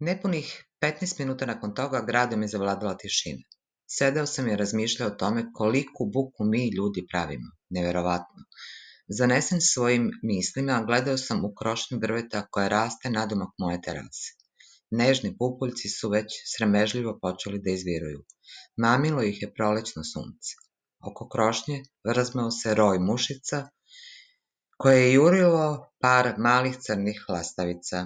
Nepunih 15 minuta nakon toga gradom je zavladala tišina. Sedeo sam i razmišljao o tome koliku buku mi ljudi pravimo. Neverovatno. Zanesen svojim mislima, gledao sam u krošnju drveta koja raste nadomak moje terase. Nežni pupuljci su već sramežljivo počeli da izviruju. Mamilo ih je prolećno sunce. Oko krošnje vrzmao se roj mušica koje je jurilo par malih crnih lastavica.